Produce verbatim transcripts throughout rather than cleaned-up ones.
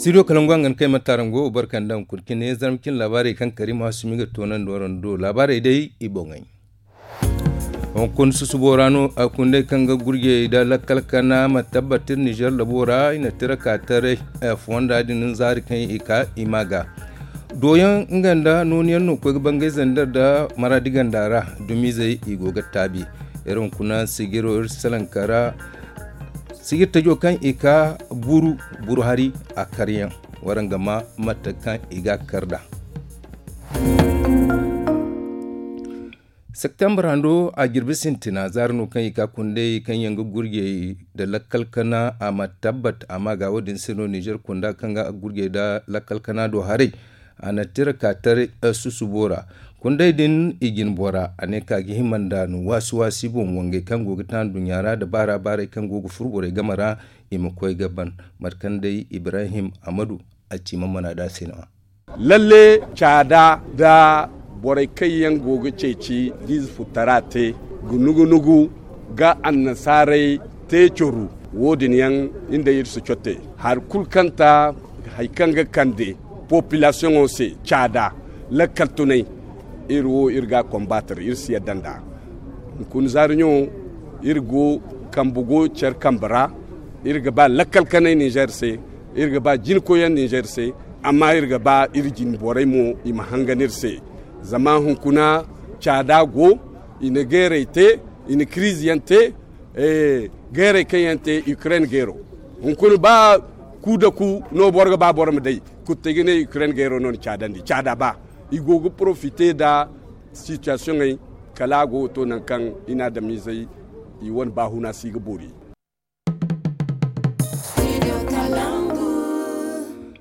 Studio kalangu a ga ni kay ma taarango barka nda hunkuna cine zarma cine laabaarey kaŋ kariima sumi ga toonandi waraŋ do laabaarey day i boŋey. Hunkuna susubo ra no a kundey kaŋ ga gurjey nda lakkal kana ma tabbat iri nizer labo ra i na tira ka taray fonda din zaari kaŋ i ka i ma ga dooyaŋ nga nda nooni yaŋ no ga koy ga bangay zander nda maraadi ganda ra. Dumizey i go ga taabi iri hunkuna sijiro iri salaŋ ka ra. Sijir tajo kaŋ i ka buru buru hari a karyaŋ waraŋ ga ma mate kaŋ i ga a kar nd'a. Septembre hando a jirbi sintina zaari no kaŋ i ka kundey kaŋ yaŋ ga gurjey nda lakkal kana a ma tabbat a ma ga wo- din se no nizer kunda kaŋ ga gurjey nda lakkal kana do haray. A na tira ka taray susubo ra kundey din i jin bora a ne ka ga hima nda no waasi waasi boŋ wangey kaŋ go ga taanu duɲɲa ra nda baara baarey kaŋ go ga furu borey game ra. I ma koy ga ban mate kaŋ day ibrahim amadu a ci ma mana da se no. Lalle caada nda borey kaŋ yaŋ go ga ceeci da ize futtara te ga nugu nugu ga annasaarey te coru. Wo- din yaŋ iri nda iri si cotte hari kulu kaŋ ta hari kaŋ ga kande popilasiyoŋo se caada lakkal tunay. Iri wo iri ga a kombatar iri si yadda nd'a. Hunkuna zaari ɲo iri go kambe go care kambe ra. Iri ga ba lakkal kanay nizer se iri ga ba jinkoyaŋ nizer se. Amma iri ga ba iri jine borey mo i ma hangan iri se. Zama hunkuna caada go i na geeray te i na kiriize yaŋ te. Geeray kaŋ yaŋ te ukraine geero hunkuna ba ku da ku no boro ga ba boro ma day. Kuttey ga ne ukraine geero no na caadandi caada ba i go ga porofite nda sitiyasiyoŋey kala a go ga to nangu kaŋ i na adamiizey i wane baahuna si ga boori.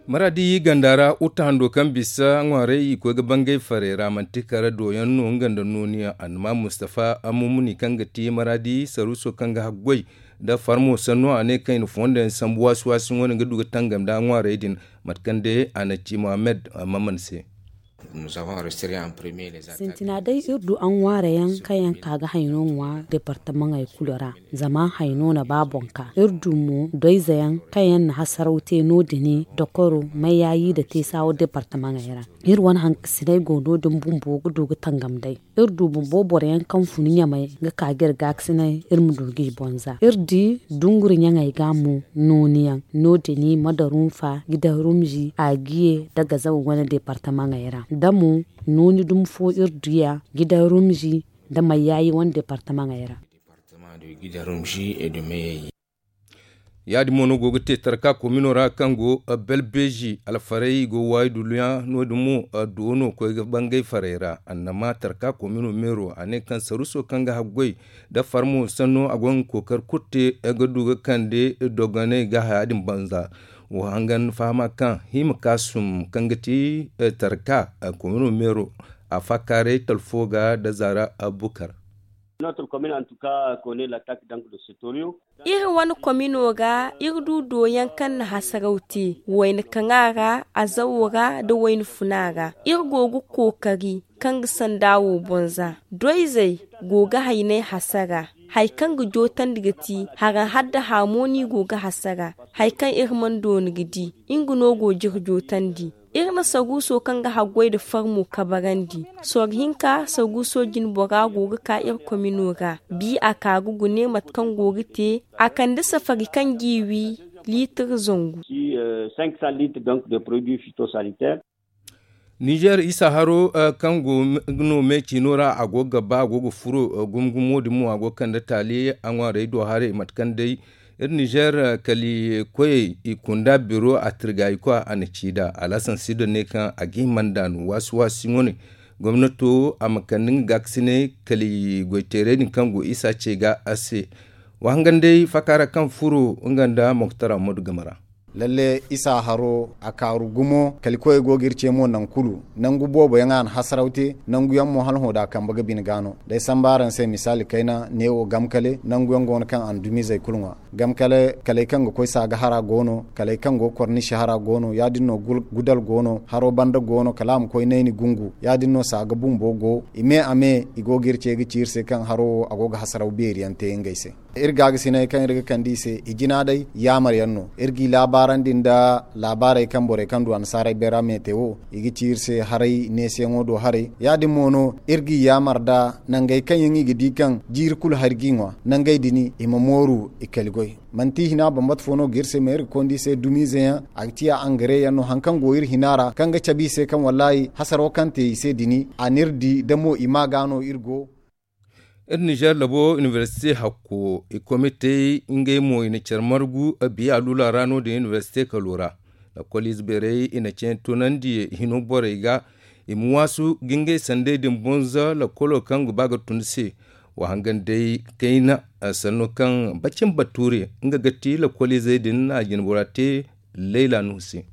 Maraadi ganda ra uta hando kaŋ bisa ŋwaarey i koy ga bangay farey ra manti kala dooyaŋ no nga nda nooniyaŋ annama mustafa amumuni kaŋ ga ti maraadi saruuso kaŋ ga haggoy nda farmo sanno a ne kaŋ i na fondo yaŋ sambu waasi waasi wane ga du ga tangam nda ŋwaarey din. Mate kaŋ day a na ci mohammed maman se. Sintina day iri du a ŋwaarayaŋ kaŋ yaŋ ka ga hayno ŋwa departamaŋey kulu ra. Zama hayno na ba boŋ ka iri du mo doyzayaŋ kaŋ yaŋ na hasaraw te no- din dokoro mayaayi nda teesawo departamaŋey ra. Iri wane hankasiney go no- din bumbo ga du ga tangam day. Iri du bumbo boroyaŋ kaŋ fun ɲamey ga ka ga iri gaakasiney iri ma du ga i bonza iri di dunguri ɲaŋey ga mo nooniyaŋ no- din madarunfa gidan rumzi agiye nda gazaw wane departamaŋey ra da mo nooni dumi fo iri du ya gidan rumzi nda mayaayi wane departamaŋey ra. Ya- din mo no go ga te tarka komino ra kaŋ go belbeezi alfarey go waayi dulluyaŋ no- din mo doono koy ga bangay farey ra annama tarka komino meero a ne kaŋ saruuso kaŋ ga haggoy nda farmo sanno a go nga kookari kulu te ga du ga kande dogoney ga haya din banza. Wo hangan fahama kaŋ hima kaasum kaŋ ga ti tarka komino meero a faakaaray talfo ga nda zaara bukar. Iri wane komino ga iri du dooyaŋ kaŋ na hasaraw te wayna kaŋa ra azawo ra nda wayna funa ra iri go ga kookari kaŋ ga sanda wo bonza doyzey go ga haynay hasara. Hari kaŋ ga jootandi ga ti haraŋ hadda harmooni go ga hasara. Hari kaŋ iri mana dooni ga di nga no go jire jootandi. Iri na saruuso kaŋ ga haggoy nda farmo kabarandi soro hinka saruuso jinbora go ga ka iri komino ra bi a ka ga gune mate kaŋ go ga te a kande safari kaŋ g'i wi liitir zangu. Nizer isa haro kaŋ go no me ciino ra a go ga ba a go ga furo gumo gumo din mo a go ga kande taali a ŋwaarey do haray mate kaŋ day iri nizer kali koyey i kunda biro a tirga i kwa a na ci nd'a alhasan sido ne kaŋ a ga hima nd'a no waasi waasi wane. Gomnato a ma kande nga gaakasiney kali goyteerey din kaŋ go isa ce ga a se. Wa hangan day faaka ra kaŋ furo nga nda moktar ammadu game ra. Lalle isa haro a kaaru gumo kali koyey go ga iri ce mo nangu kulu nangu boobo yaŋ a na hasaraw te nangu yaŋ mo hala hõ da a kambe ga bine ga no. Day samba araŋ se misaali kayna neewo gamkale nangu yaŋ go no kaŋ a na dumizey kulu ŋwa. Gam kala kaley kaŋ ga koy saaga hara go no kaley kaŋ go kornisi hara go no ya- din no gudal go no haro banda go no kala a ma koy nayni gungu ya- din no saaga bumbo go. I me a me i go ga iri ce ga ci iri se kaŋ haro wo a go ga hasaraw beeri yaŋ te ngey se. Iri ga ga sinay kaŋ iri ga kande i se i jina day yaamar yaŋ no. Iri g'i laabaarandi nda laabaarey kaŋ borey kaŋ du annasaarey beera meete wo, i ga ci iri se haray neesiyaŋo do haray. Ya- din mo no iri g'i yaamar nda nangey kaŋ yaŋ i ga di kaŋ jiiri kulu hari g'i ŋwa, nangey din i ma mooru i kali goy. Manti hina bambata fo no ga iri se ma iri ga konda i se dumiize yaŋ. A ga ciya angare yaŋ no hari kaŋ go iri hina ra kaŋ ga cabe i se kaŋ wallaahi hasaro kaŋ te i se din, a n'iri di da mo i ma ga no iri go. Iri nizeer labo inibersite hakko i komitey ngey mo i na care margu biya luula ra no- din inibersite kalo ra. Lakkol ize beerey i na ceeyaŋ tunandi hino borey ga i ma waasu ga ngey sandey din bonza lakkolo kaŋ ga ba ga tun se. Wa hangan day kayna sanno kaŋ bacin bature nga ga ti lakkol izey din a jinbora te. Layla nuhu se.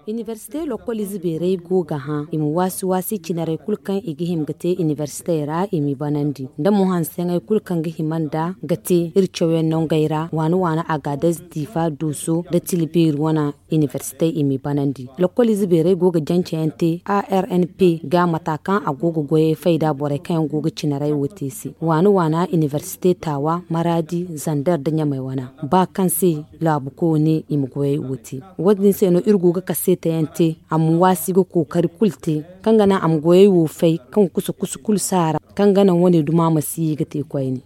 Inibersite lokkol ize beerey go ga hã i ma waasi waasi cinarey kulu kaŋ i ga hima ga te inibersitey ra i m'i banandi nda mo hanseŋey kulu kaŋ ga hima nda ga te iri cawyaŋ nangey ra waana waana agaadez diifa duuso nda tilbeeri wane. Inibersitey i m'i banandi lokkol ize beerey go ga jancayaŋ te a r n p ga mata kaŋ a go ga goyey fay nda borey kaŋ yaŋ go ga cinarey wo te se waana waana inibersite taawa maraadi zander nda ɲamey wana. Ba kaŋ se laabu koyo ne i ma goyey wo te. Wo- din se no iri go ga kaseetayaŋ te a ma waasi ga kookari kulu te kaŋ ga naŋ a ma goyey wo fay kaŋ ga kusa kusa kulu saara kaŋ ga naŋ wane duma ma si ye ga te koyne.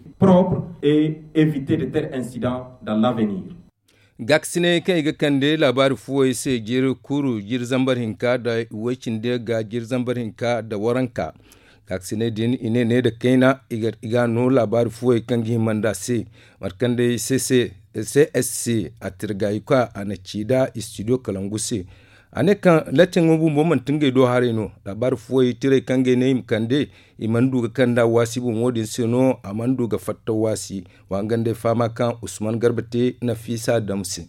Gaakasinay kaŋ i ga kande laabaari fuwey se jiiri kuru jiiri zambar hinka nda iway-cindi ga jiiri zambar hinka nda waranka. Gaakasinay din i ne ne nda kayna i ga no laabaari fuwey kaŋ ga hima nd'a se mate kaŋ day c s c a tirgayuka a na ci nd'a istidiyo kalangu se. A ne kaŋ lattiŋo bumbo manti ngey do haray no. Laabaari fuwey tirey kaŋ ga ay ne i ma kande i mana du ga kand'a waasi boŋo din se no a mana du ga fatta waasi. Wa hangan day fahama kaŋ usman garba te nafiisa dam se.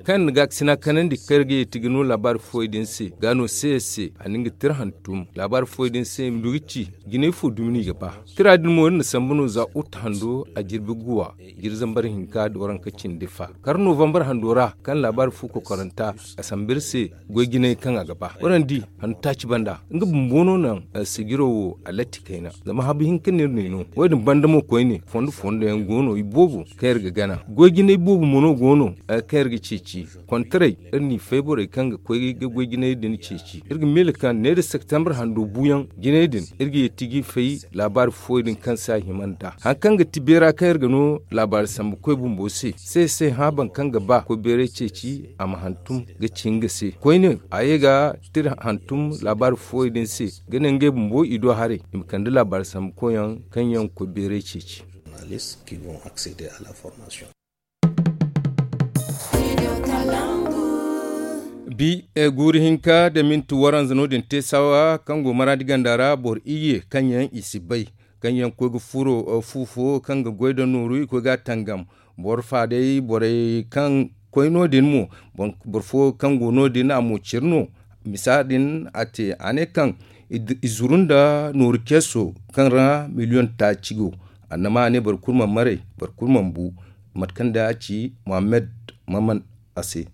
Kaŋ ni ga ga sina kanandi kaŋ iri ga yeeti ga no laabaari fuwey din se ga no se se a na nga tira hantum laabaari fuwey din se i ma du ga ci jinay fo dumi no i ga ba. Tira din mo iri na sambu no za uta hando a jirbi guwa jiri zambar hinka da waranka cindi fa kar novambar hando ra kaŋ laabaari fu kokoranta a sambu iri se. Goy jinay kaŋ a ga ba waranka di handu taaci banda nga bumbo no naŋ sijiro wo a latti kayna. Zama habu hinka no iri no i no wo- din banda mo koyne fondo fondo yaŋ go no i boobo kaŋ iri ga gana goy jinay boobo mo no go no kaŋ iri ga ceeci. Kontaray iri n'i fay borey kaŋ ga koy ga goy jinay din ceeci iri ga miila kaŋ ne da septembre hando buuyaŋ jinay din iri ga yeeti g'i fay. Laabaari fuwey din kaŋ se a hima nd'a hari kaŋ ga ti beera kaŋ iri ga no laabaari sambu koy bumbo se se se hã boro kaŋ ga ba koy beeray ceeci a ma hantum ga ci nga se koyne a ye ga tira hantum laabaari fuwey din se ga ne ngey bumbo i do haray i ma kande laabaari sambu koyyaŋ kaŋ yaŋ ga koy beeray ceeci. Bi guuri hinka nda minti waranza no- din te saawa kaŋ go maraadi ganda ra boro iyye kaŋ yaŋ i si bay kaŋ yaŋ koy ga furo fu fo kaŋ ga goy nda nooru i koy ga a tangam. Boro fa day borey kaŋ koy no- din mo boro fo kaŋ go no- din a mo ciri no. Misa din a te a ne kaŋ i zuru nda nooru ceeso kaŋ ra miliyoŋ taaci go. Annama a ne boro kulu mana maray boro kulu mana bu. Mate kaŋ day a ci muhammad maman a se.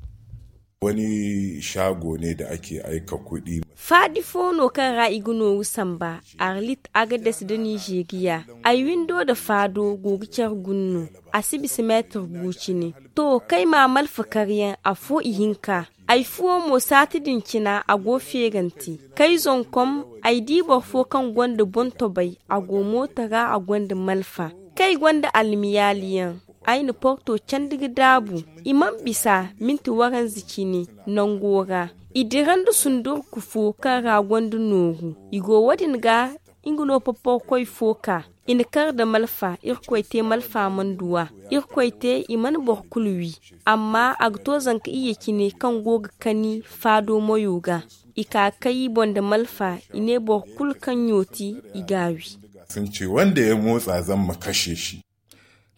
Wani shago ne da ake aika kuɗi. Faadi fo no kaŋ ra i ga nooru samba arlit agades nda nizeeriya. Ay windo nda faado go ga care guna no. A si bisa meetir gu cine. To kay ma malfa karyaŋ afo ihinka. Ay fuwo mo saati din cina a go feerante. Kay zonkom ay di boro fo kaŋ gonda boŋ-tobay a go mooto ra a gonda malfa. Kay gonda almiyaaliyaŋ. Ay na porto candi ga daabu. I mana bisa minti waranza cine nango ra. I dira nda sundurku fo kaŋ ra gonda nooru. I go wo- din ga nga no poporkoy fo ka. I na kar nda malfa irkoy te malfa mana duw'a. Irkoy te i mana boro kulu wi. Amma a ga to zanka iyye cine kaŋ go ga kani faado moyo ga. I ka kay i boŋ nda malfa i ne boro kulu kaŋ ɲooti i g'a wi. Sun ce wanda ya motsa zan ma kashe shi.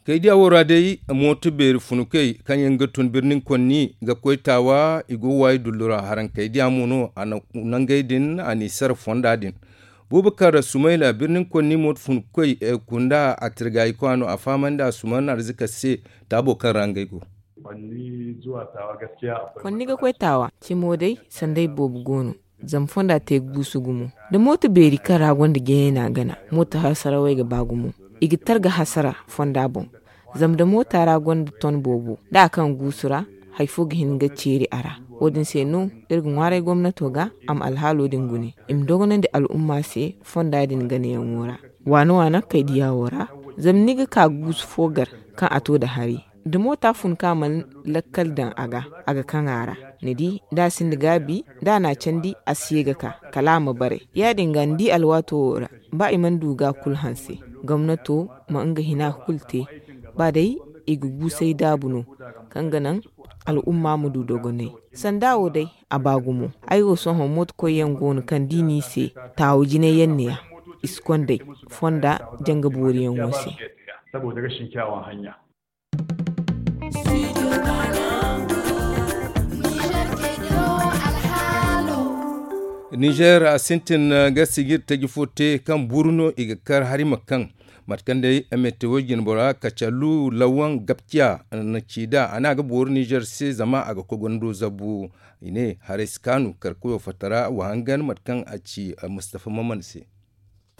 Kaydiya wo ra day mooto beeri funukey kaŋ yaŋ ga tun birnin konni ga koy taawa i go waayi dullu ra harankaydiya mo no a na nangey din a n'i sara fonda din. Bubakar sumayla birnin konni mooto funukey kunda a tirgayikwa no a fahamandi a suman arzika se. Taabo kaŋ ra ngey go. Konni ga koy taawa cimo day sanday boobo go no. Zama fonda te ga guusu gumo, da mooto beeri kaŋ ra gonda jeeyay no a gana. Mooto hasarawey ga ba gumo. I ga targa hasara fonda boŋ. Zama da moota ra gonda ton boobo, da a kaŋ guusu ra, hari fo ga hin ga ceeri a ra. Wo- din se no iri ga ŋwaaray gomnato ga a ma alhaalo din gune, i ma dogonandi al'umma se fonda din ganayaŋo ra. Waana-waana kay diya wo ra, zama ni ga ka guusu fo gar kaŋ a to nda hari, da moota fun ka mana lakkal daŋ a ga, a ga kaŋ a ra. Ni di, da a sinda gaabi, da a na a candi, a si ye ga ka, kala a ma bare. Ya- din ga ni di alwaato wo ra, ba i mana du ga kulu hanse, gomnato ma nga hina kulu te. Ba day i ga guusay daabu no, kaŋ ga naŋ al'umma ma du dogonay. Sanda wo day, a ba gumo. Ay wo sohõ mooto koyyaŋ go no kaŋ da i n'i se, taawu jinay yaŋ neeya, i si kond'ey fonda janga booriyaŋo se. Nizer a sintin ga sijir taji fo te kaŋ buru no i ga kar hari ma kaŋ. Mate kaŋ day mete wo jinbora kacallu lawan gabciya na ci da a ne a ga boori nizer se zama a ga koy gondo zabu. I ne haray si kaanu karkoyo fatara wa hangan mate kaŋ a ci. Mustafa maman se.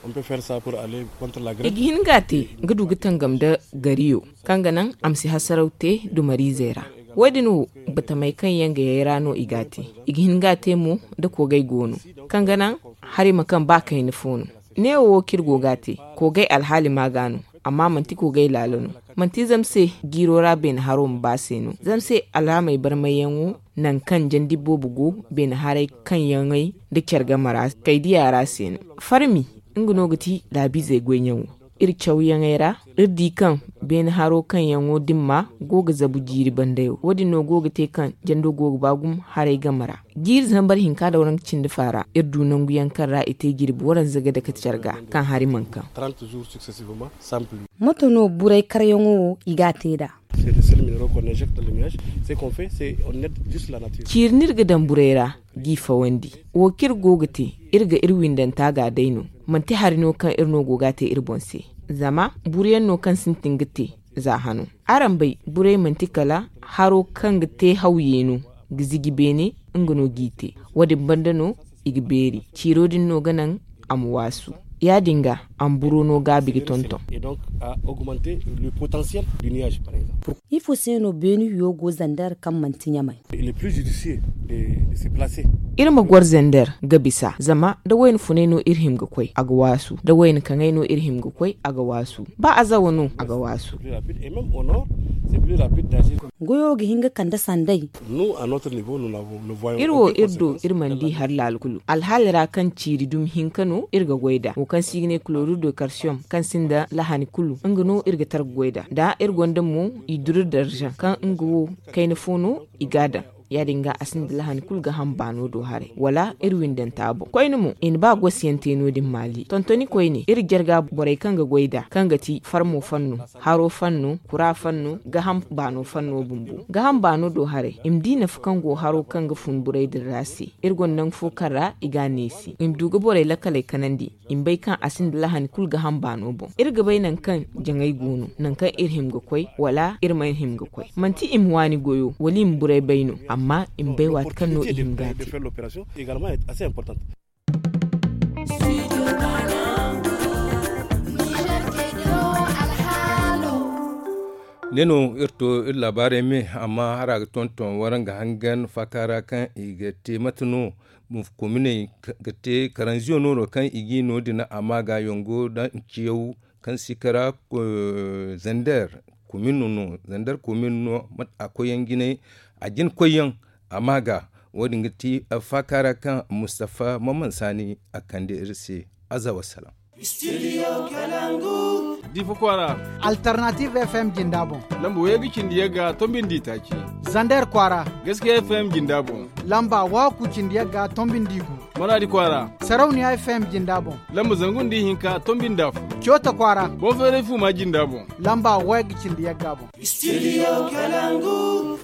I ga hin ga a te ga du ga tangam nda gariyo kaŋ ga naŋ a ma si hasaraw te dumariizey ra. Wo- din wo batamey kaŋ yaŋ ga yay ra no i ga a te. I ga hin ga a te mo da koogay go no, kaŋ ga naŋ hari ma kaŋ ba kayna fo no. Neewo wo kaŋ iri go ga a te, koogay alhaali ma ga no, amma manti koogay laalo no. Manti zama se jiiro ra beene haro ma ba se no, zama se alhaamey barmayyaŋo naŋ kaŋ jandi boobo go, beene haray kaŋ yaŋey nda care game ra kay diya ra se no. Farmi, nga no ga ti laabiizey goyyaŋo. Iri cawyaŋey ra, iri di kaŋ beene haro kaŋ yaŋo dimma go ga zabu jiiri bandayo. Wo- din no go ga te kaŋ jando go ga ba gumo haray game ra. Jiiri zambar hinka da waranka cindi faara, iri du nangu yaŋ kaŋ ra i te jirbi waranza ga dake care ga kaŋ hari mana kaŋ. Moto no buray karyaŋo wo i ga a te nd'a? Ciiri no iri ga daŋ buray ra g'i fawandi. Wo kaŋ iri go ga te, iri ga iri windanta ga day no. Manti hari no kaŋ iri no go ga a te iri boŋ se. Zama buruyaŋ no kaŋ sintin ga te za hano. Araŋ bay, buray manti kala haro kaŋ ga te hawye no, ga ziji beene, nga no g'i te. Wo- din banda no i ga beeri. Ciiro din no ga naŋ a ma waasu. Ya- din ga a ma buro no gaabi ga tonton. Ifo se no beene hiyo go zander kaŋ manti ɲamay? Iri ma goro zander ga bisa, zama da wayna funay no iri hima ga koy, a ga waasu. Da wayna kaŋay no iri hima ga koy, a ga waasu. Ba azawa no, a ga waasu. Goyo ga hin ga kande sanday. Iri wo iri do, iri mana di hari laala kulu. Alhaali ra kaŋ ciiri dumi hinka no iri ga goy nd'a, wo kaŋ se i ga ne chlorure de calcium, kaŋ sinda lahani kulu, nga no iri ga tara ga goy nd'a. Da iri gonda mo, i duru darza kaŋ nga wo kayna fo no i ga a daŋ. Ya- din ga a sinda lahani kulu ga ham baano do haray, wala iri windanta boŋ. Koyne mo, i na ba gosiyaŋ te no- din maali. Tontoni koyne, iri jarga borey kaŋ ga goy nd'a, kaŋ ga ti farmo fanno, haro fanno, kura fanno, gaham baano fanno bumbo. Gaham baano do haray, i ma di nafa kaŋ go haro kaŋ ga fun buray din ra se. Iri gonda nangu fo kaŋ ra i ga a neesi, i ma du ga borey lakkaley kanandi, i ma bay kaŋ a sinda lahani kulu gaham baano boŋ. Iri ga bay nangu kaŋ jaŋay go no, nangu kaŋ iri hima ga koy, wala iri mana hima ga koy. Manti i ma waani goyo, wala i ma buray bay no, amma i ma bay waati kaŋ no i hima ga a te. Ne no iri to iri laabaarey me, amma hara ga tonton waraŋ ga hangan faaka ra kaŋ i ga te mate no. Kominey ga te karanziyo no no kaŋ i ga no din a ma ga yongo da nciyaw kaŋ si kara. Zander komin no zander komin no mate a koyyaŋ jinay a jin koyyaŋ a ma ga. Wo- din ga ti faaka ra kaŋ mustafa maman saani a kande iri se. Aza wasalaŋ. Difa kwaara, alternative fm jinda boŋ, lamba wayga cindi yagga tombindi taaci. Zander kwaara, gaskiya fm jinda boŋ, lamba waku cindi yagga tombindi gu. Maradi kwaara, sarauniya fm jinda boŋ, lamba zangu nda ihinka tombindi afo. Coota kwaara, bonferey fuma jinda boŋ, lamba wayga cindi yagga boŋ. Studio Kalangu.